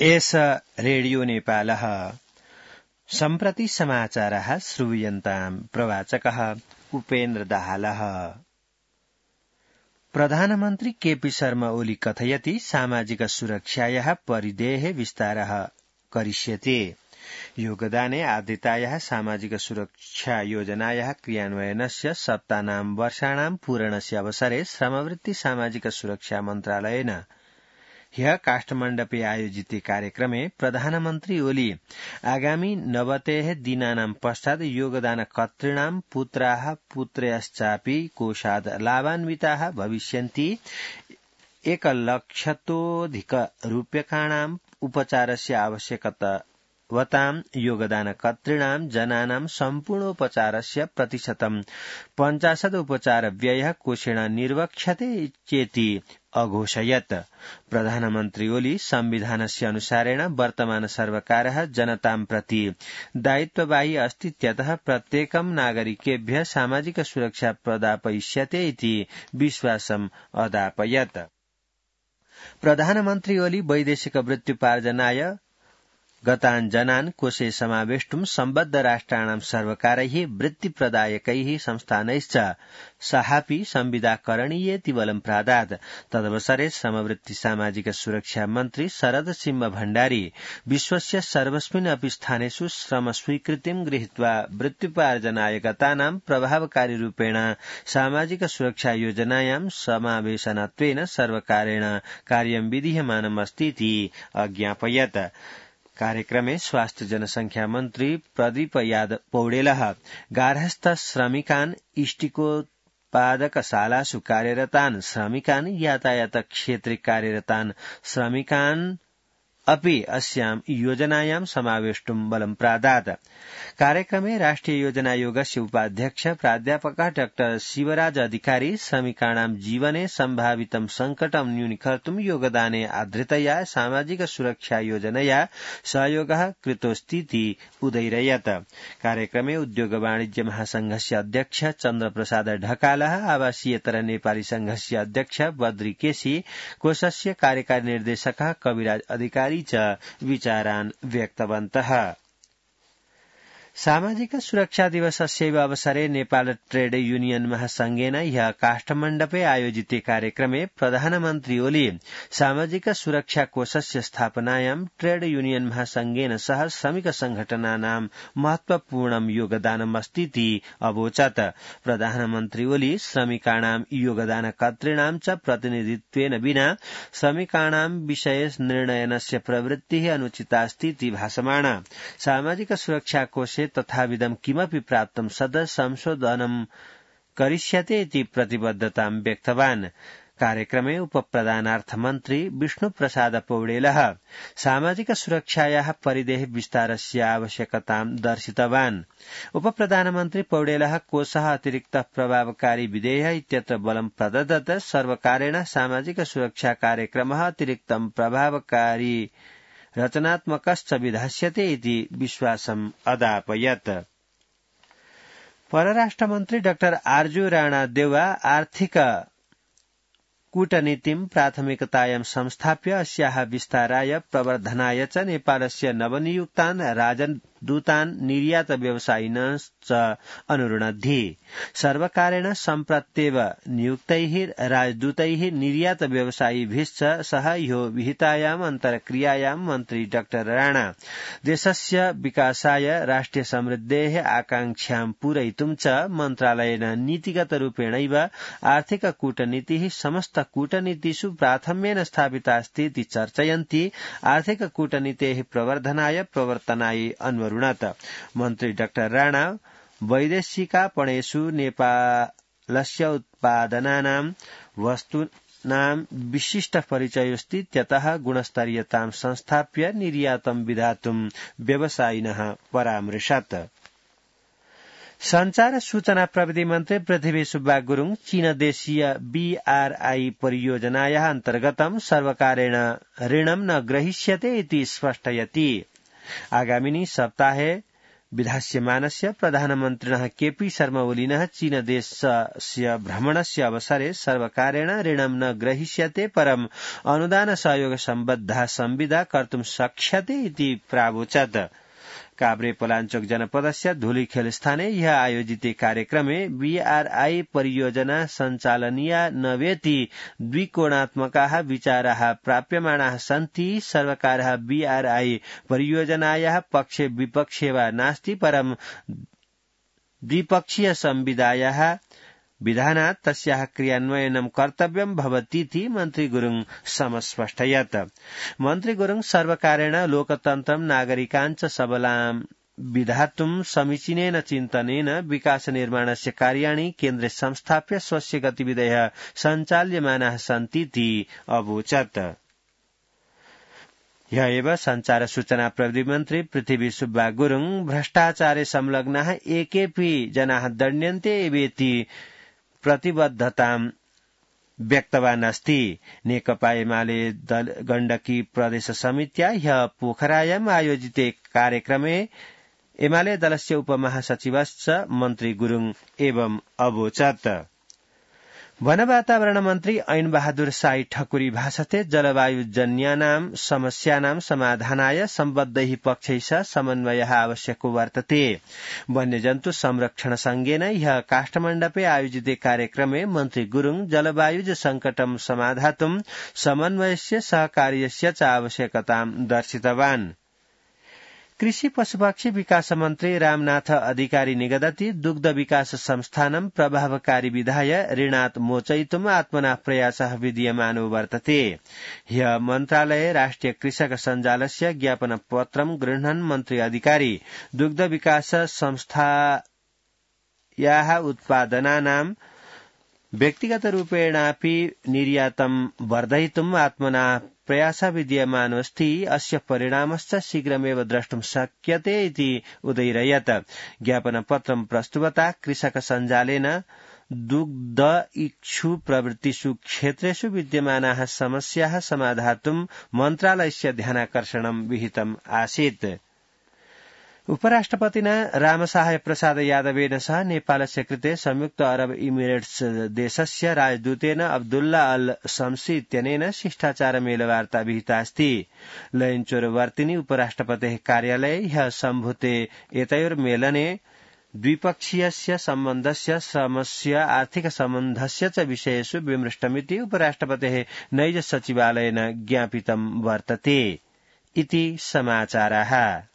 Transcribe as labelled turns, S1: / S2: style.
S1: एष रेडियो नेपालः सम्प्रति समाचारः श्रूयन्ताम् प्रवाचकः उपेन्द्र दाहालः। प्रधानमन्त्री केपी शर्मा ओली कथयति सामाजिक सुरक्षायाः परिधेः विस्तारः करिष्यते। योगदाने आद्यतायाः सामाजिक सुरक्षा योजनायाः क्रियान्वयनस्य सप्तानां वर्षाणां पूरणस्य अवसरे श्रमवृत्ति सामाजिक सुरक्षा मन्त्रालयेन ह्यः काठमाण्डुपे आयोजिते कार्यक्रमे प्रधानमन्त्री ओली आगामी 90 दिनानां पश्चात् योगदानकर्तॄणां पुत्राः पुत्र्यश्चापि कोषात् लाभान्विताः भविष्यन्ति। 1,00,000 उपचारस्य आवश्यकतावतां योगदानकर्तॄणां जनानां सम्पूर्णोपचारस्य प्रतिशतं 50 उपचार व्ययः कोषेण निर्वक्ष्यते चेति अघोषयत्। प्रधानमन्त्री ओली संविधानस्य अनुसारेण वर्तमान सर्वकारः जनतां प्रति दायित्ववाही अस्तीत्यतः प्रत्येकं नागरिकेभ्यः सामाजिक सुरक्षा प्रदापयिष्यते इति विश्वासम् अदापयत्। प्रधानमन्त्री ओली वैदेशिक वृत्त्युपार्जनाय गतान् जनान् कोषे समावेष्टुं सम्बद्ध राष्ट्राणां सर्वकारैः वृत्तिप्रदायकैः संस्थानैश्च सहापि संविदा करणीयेति बलं प्रादात्। तदवसरे श्रमवृत्ति सामाजिक सुरक्षा मन्त्री शरद सिंह भण्डारी विश्वस्य सर्वस्मिन् अपि स्थानेषु श्रम स्वीकृतिं गृहीत्वा वृत्त्युपार्जनाय गतानां प्रभावकारी रूपेण सामाजिक सुरक्षा योजनायां समावेशनत्वेन सर्वकारेण कार्यं विधीयमानमस्ति इति अज्ञापयत्। कार्यक्रमे स्वास्थ्य जनसंख्या मन्त्री प्रदीप यादव पौडेलः गार्हस्थ श्रमिकान् इष्टिकोत्पादकशालासु कार्यरतान् श्रमिकान् यातायात क्षेत्रे कार्यरतान् श्रमिकान् अपि अस्यां योजनायां समावेष्टुं बलं प्रादात्। कार्यक्रमे राष्ट्रिय योजना आयोगस्य उपाध्यक्ष प्राध्यापकः डॉ शिवराज अधिकारी श्रमिकाणां जीवने सम्भावितं संकटं न्यूनीकर्तुं योगदाने आद्रतया सामाजिक सुरक्षा योजनया सहयोगः कृतोऽस्तीति उदैरयत्। कार्यक्रमे उद्योग वाणिज्य महासंघस्य अध्यक्ष चन्द्रप्रसाद ढकालः आवासीयतर नेपाली संघस्य अध्यक्ष बद्री केसी कोषस्य कार्यकारी निर्देशकः कविराज अधिकारी च विचारान् व्यक्तवन्तः। सामाजिक सुरक्षा दिवसस्यैव अवसरे नेपाल ट्रेड यूनियन महासंघेन ह्यः काठमाण्डुपे आयोजिते कार्यक्रमे प्रधानमन्त्री ओली सामाजिक सुरक्षा कोषस्य स्थापनायां ट्रेड यूनियन महासंघेन सह श्रमिक संघटनानां महत्वपूर्णं योगदानमस्तीति अवोचत्। प्रधानमन्त्री ओली श्रमिकाणां योगदानकर्तॄणां च प्रतिनिधित्वेन विना श्रमिकाणां विषये निर्णयनस्य प्रवृत्तिः अनुचितास्तीति भाषमाण। सामाजिक सुरक्षा कोषे तथाविधं किमपि प्राप्तं सद संशोधनं करिष्यते इति प्रतिबद्धतां व्यक्तवान्। कार्यक्रमे उपप्रधानार्थमन्त्री विष्णुप्रसाद पौडेलः सामाजिक सुरक्षायाः परिधेः विस्तारस्य आवश्यकतां दर्शितवान्। उपप्रधानमन्त्री पौडेलः कोषः अतिरिक्त प्रभावकारी विधेयः इत्यत्र बलं प्रददत्। सर्वकारेण सामाजिक सुरक्षा कार्यक्रमः अतिरिक्तं प्रभावकारी रचनात्मकश्च विधास्यते इति विश्वासम् अदापयत्। परराष्ट्रमन्त्री डॉ आर्जू राणा देउवा आर्थिक कूटनीतिं प्राथमिकतायां संस्थाप्य अस्याः विस्ताराय प्रवर्धनाय च नेपालस्य नवनियुक्तान् राजदूतान् निर्यात व्यवसायिनश्च अनुरुणद्धि। सर्वकारेण सम्प्रत्येव नियुक्तैः राजदूतैः निर्यात व्यवसायिभिश्च सह ह्यो विहितायाम् अन्तर्क्रियायां मन्त्री डॉ राणा देशस्य विकासाय राष्ट्रिय समृद्धेः आकांक्षां पूरयितुं च मन्त्रालयेन नीतिगत रूपेणैव आर्थिक कूटनीतिः समस्त कूटनीतिषु प्राथम्येन स्थापितास्ति इति चर्चयन्ति आर्थिक कूटनीतेः प्रवर्धनाय प्रवर्तनाय अन्वरुणत। मन्त्री डॉ राणा वैदेशिकापणेषु नेपालस्य उत्पादनानां वस्तूनां विशिष्ट परिचयोऽस्तीत्यतः गुणस्तरीयतां संस्थाप्य निर्यातं विधातुं व्यवसायिनः परामृशत्। संचार सूचना प्रविधि मन्त्री पृथ्वी सुब्बा गुरुङ चीनदेशीय BRI परियोजनायाः अन्तर्गतं सर्वकारेण ऋणं न ग्रहीष्यते इति स्पष्टयति। आगामिनि सप्ताहे विधास्यमानस्य प्रधानमन्त्रिणः केपी शर्मा ओलिनः चीनदेशस्य भ्रमणस्य अवसरे सर्वकारेण ऋणं न ग्रहीष्यते परं अनुदान सहयोग सम्बद्धा संविदा कर्तुं शक्ष्यते इति प्रावोचत्। काभ्रे पलाञ्चोक जनपदस्य धुलीखेल स्थाने ह्यः आयोजिते कार्यक्रमे बीआरआई परियोजना सञ्चालनीया नवेति द्विकोणात्मकाः विचाराः प्राप्यमाणाः सन्ति। सर्वकारः बीआरआई परियोजनायाः पक्षे विपक्षे वा नास्ति परं द्विपक्षीय संविदायाः विधानात् तस्याः क्रियान्वयनं कर्तव्यं भवतीति मन्त्री गुरुङ समस्पष्टयत्। मन्त्री गुरुङ सर्वकारेण लोकतन्त्रं नागरिकाञ्च सबलां विधातुं समीचीनेन चिन्तनेन विकास निर्माणस्य कार्याणि केन्द्रे संस्थाप्य स्वस्य गतिविधयः सञ्चाल्यमानाः सन्तीति अवोचत्। ह्यः एव संचार सूचना प्रविधि मन्त्री पृथ्वी सुब्बा गुरुङ भ्रष्टाचारे संलग्नाः एकेपि जनाः दण्ड्यन्ते एवेति प्रतिबद्धतां व्यक्तवान् अस्ति। नेकपा एमाले गण्डकी प्रदेश समित्या ह्यः पोखरायाम् आयोजिते कार्यक्रमे एमाले दलस्य उपमहासचिवश्च मन्त्री गुरुङ एवं अवोचत्। वन वातावरण मन्त्री ऐन बहादुर साई ठकुरी भाषते जलवायुजन्यानां समस्यानां समाधानाय सम्बद्धैः पक्षैः सह समन्वयः आवश्यको वर्तते। वन्यजन्तु संरक्षण संघेन ह्यः काष्ठमण्डपे आयोजिते कार्यक्रमे मन्त्री गुरुङ जलवायुज संकटं समाधातुं समन्वयस्य सहकार्यस्य च आवश्यकतां दर्शितवान्। कृषि पशुपक्षी विकास मन्त्री रामनाथ अधिकारी निगदति दुग्ध विकास संस्थानं प्रभावकारी विधाय ऋणात् मोचयितुम् आत्मना प्रयासः विधीयमानो वर्तते। ह्यः मन्त्रालये राष्ट्रिय कृषक सञ्जालस्य ज्ञापनपत्रं गृह्णन् मन्त्री अधिकारी दुग्ध विकास संस्थायाः उत्पादनानां व्यक्तिगतरूपेणापि निर्यातं वर्धयितुम् आत्मना प्रयासः विधीयमानोऽस्ति। अस्य परिणामश्च शीघ्रमेव द्रष्टुं शक्यते इति उदयिरयत्। ज्ञापनपत्रं प्रस्तुवता कृषक सञ्जालेन दुग्ध इक्षु प्रवृत्तिषु क्षेत्रेषु विद्यमानाः समस्याः समाधातुं मन्त्रालयस्य ध्यानाकर्षणं विहितम् आसीत्। उपराष्ट्रपतिना रामसहाय प्रसाद यादवेन सह नेपालस्य कृते संयुक्त अरब इमिरेट्स देशस्य राजदूतेन अब्दुल्ला अल शम्सी इत्यनेन शिष्टाचारमेलवार्ता विहितास्ति। लयञ्चोरवर्तिनि उपराष्ट्रपतेः कार्यालये ह्यः सम्भूते एतयोर्मेलने द्विपक्षीयस्य सम्बन्धस्य श्रमस्य आर्थिक सम्बन्धस्य च विषयेषु विमृष्टमिति उपराष्ट्रपतेः नैज सचिवालयेन ज्ञापितं वर्तते इति समाचाराः।